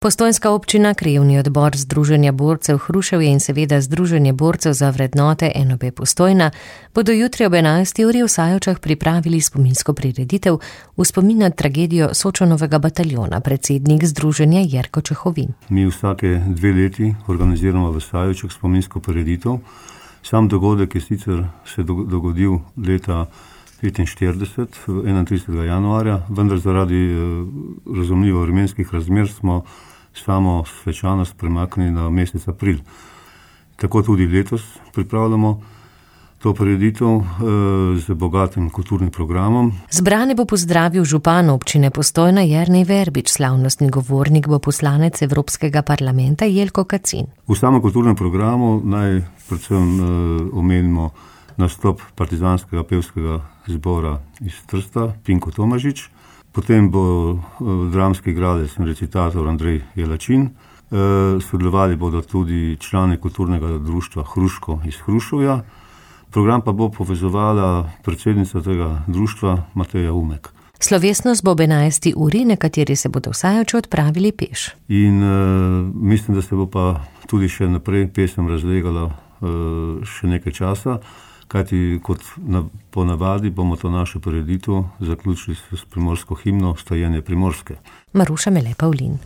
Postojnska občina, krajevni odbor Združenja borcev Hruševje in seveda Združenje borcev za vrednote NOB Postojna bodo jutri ob 11. uri v Sajovčah pripravili spominsko prireditev v spomin na tragedijo Sočonovega bataljona, predsednik združenja Jerko Čehovin. Mi vsake 2 leti organiziramo v Sajovčah spominsko prireditev. Sam dogodek je sicer se dogodil leta 1945, 31. januarja, vendar zaradi razumljivo vremenskih razmer smo samo svečanost premaknili na mesec april. Tako tudi letos pripravljamo to prireditev z bogatim kulturnim programom. Zbrane bo pozdravil župan občine Postojna Jernej Verbič, slavnostni govornik bo poslanec Evropskega parlamenta Jelko Kacin. V samem kulturnem programu naj predvsem omenimo nastop partizanskega pevskega zbora iz Trsta, Pinko Tomažič. Potem bo dramski igralec in recitator Andrej Jelačin. Sodelovali bodo tudi člani kulturnega društva Hruško iz Hruševja. Program pa bo povezovala predsednica tega društva Mateja Umek. Slovesnost bo ob 11. uri, nekateri se bodo v Sajovče odpravili peš. In mislim, da se bo pa tudi še naprej pesem razlegala še nekaj časa, kajti kot ponavadi bomo to našo prireditev zaključili s primorsko himno Vstajenje Primorske. Maruša Mele Pavlin.